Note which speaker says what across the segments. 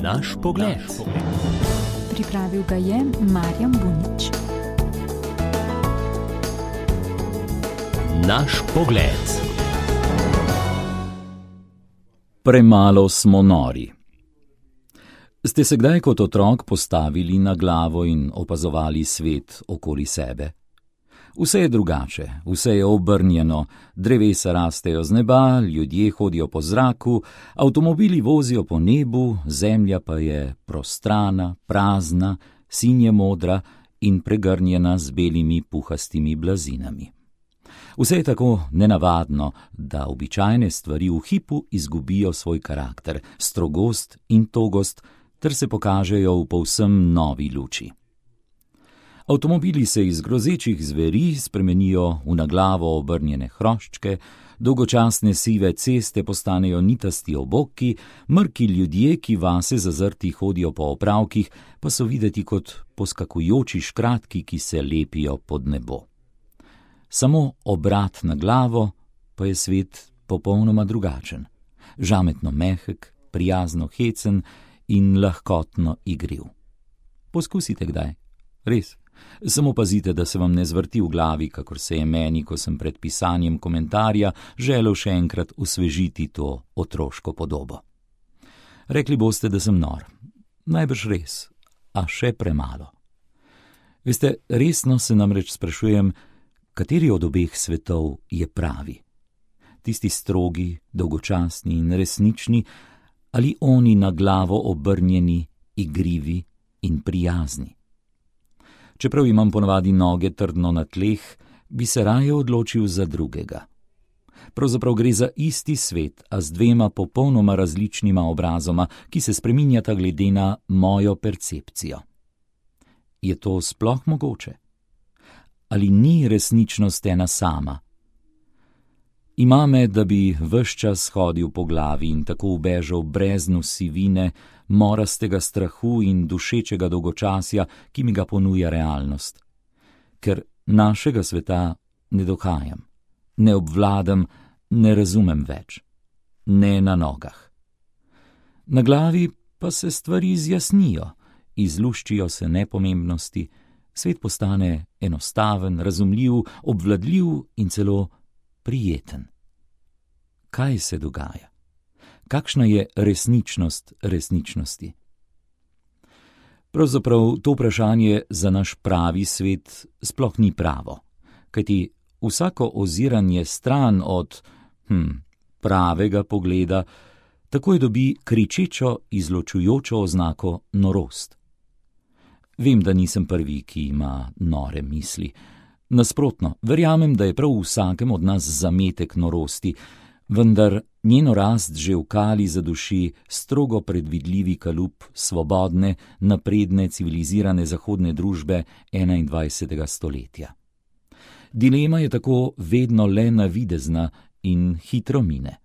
Speaker 1: Naš pogled.
Speaker 2: Pripravil ga je Marjan Bunič.
Speaker 1: Naš pogled.
Speaker 3: Premalo smo nori. Ste se kdaj kot otrok postavili na glavo in opazovali svet okoli sebe? Vse je drugače, vse je obrnjeno, drevesa rastejo z neba, ljudje hodijo po zraku, avtomobili vozijo po nebu, zemlja pa je prostrana, prazna, sinje modra in pregrnjena z belimi puhastimi blazinami. Vse je tako nenavadno, da običajne stvari v hipu izgubijo svoj karakter, strogost in togost, ter se pokažejo v povsem novi luči. Avtomobili se iz grozečih zveri spremenijo v na glavo obrnjene hroščke, dolgočasne sive ceste postanejo nitasti oboki, mrki ljudje, ki vase zazrti hodijo po opravkih, pa so videti kot poskakujoči škratki, ki se lepijo pod nebo. Samo obrat na glavo, pa je svet popolnoma drugačen, žametno mehek, prijazno hecen in lahkotno igriv. Poskusite kdaj, res. Samo pazite, da se vam ne zvrti v glavi, kakor se je meni, ko sem pred pisanjem komentarja želel še enkrat osvežiti to otroško podobo. Rekli boste, da sem nor. Najbrž res, a še premalo. Veste, resno se namreč sprašujem, kateri od obeh svetov je pravi. Tisti strogi, dolgočasni in resnični, ali oni na glavo obrnjeni, igrivi in prijazni. Čeprav imam ponavadi noge trdno na tleh, bi se raje odločil za drugega. Pravzaprav gre za isti svet, a z dvema popolnoma različnima obrazoma, ki se spreminjata glede na mojo percepcijo. Je to sploh mogoče? Ali ni resničnost ena sama? Ima me, da bi ves čas hodil po glavi in tako ubežal breznu sivine, morastega strahu in dušečega dolgočasja, ki mi ga ponuja realnost. Ker našega sveta ne dohajam, ne obvladam, ne razumem več. Ne na nogah. Na glavi pa se stvari zjasnijo, izluščijo se nepomembnosti, svet postane enostaven, razumljiv, obvladljiv in celo prijeten. Kaj se dogaja? Kakšna je resničnost resničnosti? Pravzaprav to vprašanje za naš pravi svet sploh ni pravo, kajti vsako oziranje stran od pravega pogleda takoj dobi kričečo, izločujočo oznako norost. Vem, da nisem prvi, ki ima nore misli. Nasprotno, verjamem, da je prav v vsakem od nas zametek norosti, vendar njeno rast že v kali zaduši strogo predvidljivi kalup svobodne, napredne, civilizirane zahodne družbe 21. stoletja. Dilema je tako vedno le navidezna in hitro mine.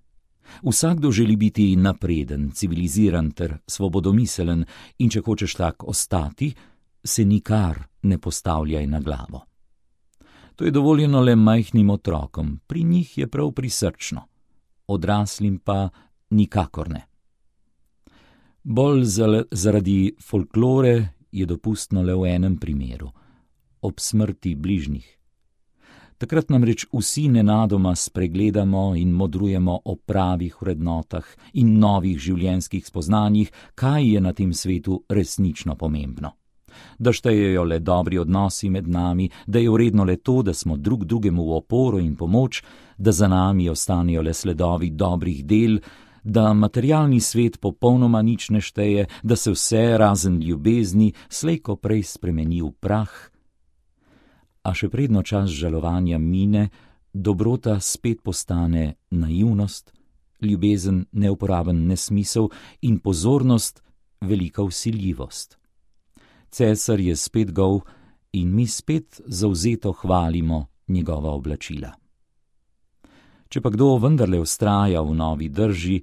Speaker 3: Vsakdo želi biti napreden, civiliziran ter svobodomiselen in če hočeš tak ostati, se nikar ne postavljaj na glavo. To je dovoljeno le majhnim otrokom, pri njih je prav prisrčno, odraslim pa nikakor ne. Bolj zaradi folklore je dopustno le v enem primeru, ob smrti bližnjih. Takrat namreč vsi nenadoma spregledamo in modrujemo o pravih vrednotah in novih življenjskih spoznanjih, kaj je na tem svetu resnično pomembno. Da štejejo le dobri odnosi med nami, da je vredno le to, da smo drug drugemu v oporo in pomoč, da za nami ostanejo le sledovi dobrih del, da materialni svet popolnoma nič ne šteje, da se vse razen ljubezni slej ko prej spremeni v prah. A še predno čas žalovanja mine, dobrota spet postane naivnost, ljubezen neuporaben nesmisel in pozornost velika vsiljivost. Cesar je spet gol in mi spet zavzeto hvalimo njegova oblačila. Če pa kdo vendarle vztraja v novi drži,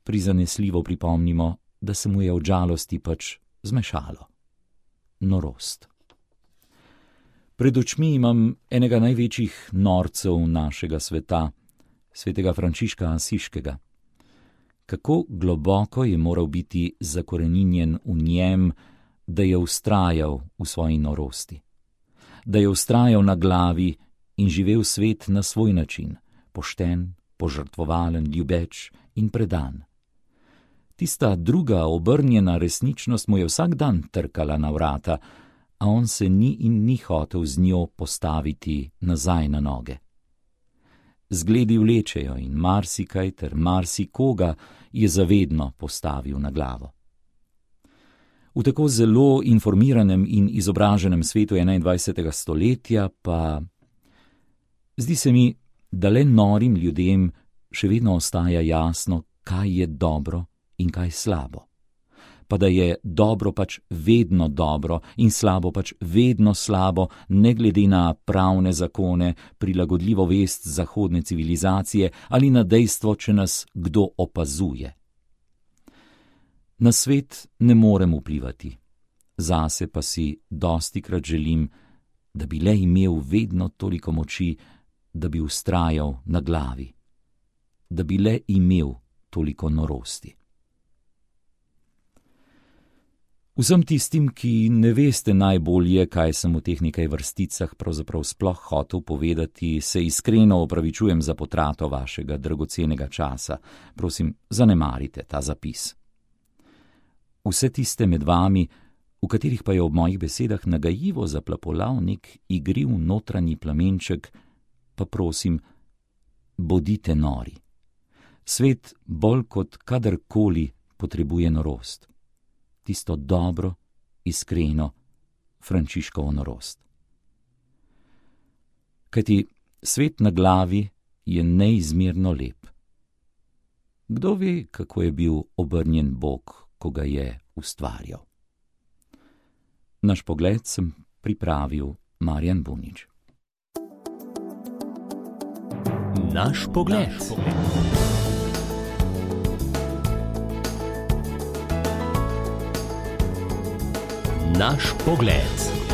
Speaker 3: prizanesljivo pripomnimo, da se mu je od žalosti pač zmešalo. Norost. Pred očmi imam enega največjih norcev našega sveta, svetega Frančiška Asiškega. Kako globoko je moral biti zakoreninjen v njem, da je vztrajal v svoji norosti, da je vztrajal na glavi in živel svet na svoj način, pošten, požrtvovalen, ljubeč in predan. Tista druga obrnjena resničnost mu je vsak dan trkala na vrata, a on se ni in ni hotel z njo postaviti nazaj na noge. Zgledi vlečejo in marsikaj ter marsikoga je zavedno postavil na glavo. V tako zelo informiranem in izobraženem svetu 21. stoletja pa zdi se mi, da le norim ljudem še vedno ostaja jasno, kaj je dobro in kaj slabo. Pa da je dobro pač vedno dobro in slabo pač vedno slabo, ne glede na pravne zakone, prilagodljivo vest zahodne civilizacije ali na dejstvo, če nas kdo opazuje. Na svet ne morem vplivati, zase pa si dostikrat želim, da bi le imel vedno toliko moči, da bi vztrajal na glavi, da bi le imel toliko norosti. Vsem tistim, ki ne veste najbolje, kaj sem v teh nekaj vrsticah pravzaprav sploh hotel povedati, se iskreno opravičujem za potrato vašega dragocenega časa. Prosim, zanemarite ta zapis. Vse tiste med vami, v katerih pa je ob mojih besedah nagajivo zaplapolal nek igriv notranji plamenček, pa prosim, bodite nori. Svet bolj kot kadarkoli potrebuje norost. Tisto dobro, iskreno, Frančiškovo norost. Kajti svet na glavi je neizmerno lep. Kdo ve, kako je bil obrnjen Bog, ko ga je ustvarjal? Naš pogled sem pripravil Marjan Bunič.
Speaker 1: Naš pogled. Naš pogled.